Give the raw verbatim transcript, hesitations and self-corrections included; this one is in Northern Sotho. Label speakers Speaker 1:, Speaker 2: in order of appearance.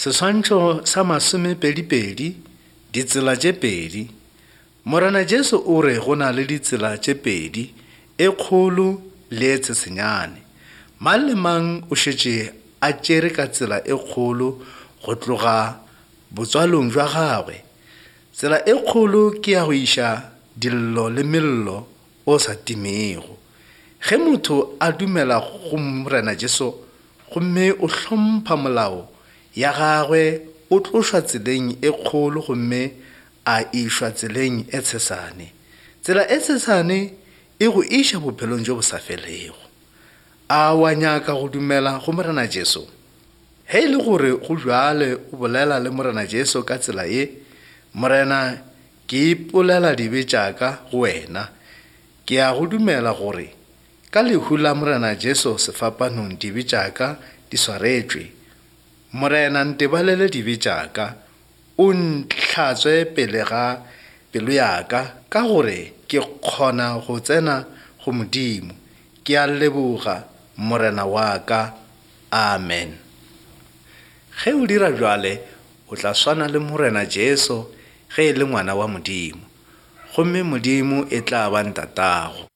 Speaker 1: Seswantšho sa masomepedipedi, ditsela tše pedi. Morena Jesu o re go na le ditsela tše pedi, e kgolo le e tshesenyane. Mang le mang o šetše a tšere ka tsela e kgolo go tloga botswalong bja gagwe. Tsela e kgolo ke ya go iša dillo le mello o sa timego. Ge motho a dumela go Morena Jesu gomme o hlompha molao ya gagwe, o tlošwa tseleng e kgolo gomme a išwa tseleng e tshesane. Tsela e tshesane e go iša bophelong bjo bo sa felego. A wa nyaka go dumela go Morena Jesu? Ge e le gore go bjale o bolela le Morena Jesu ka tsela ye, Morena, ke ipolela dibe tša ka go wena. Ke a go dumela gore ka lehu la Morena Jesu sefapanong dibe tša ka di swaretšwe. Morena, ntebalele dibe tša ka, o ntlhatswe pele ga pelo ya ka, ka gore ke kgona go tsena go Modimo. Ke a leboga, Morena wa ka. Amen. Ge o dira bjale, o tla swana le Morena Jesu ge e le ngwana wa Modimo, gomme Modimo e tla ba ntatago.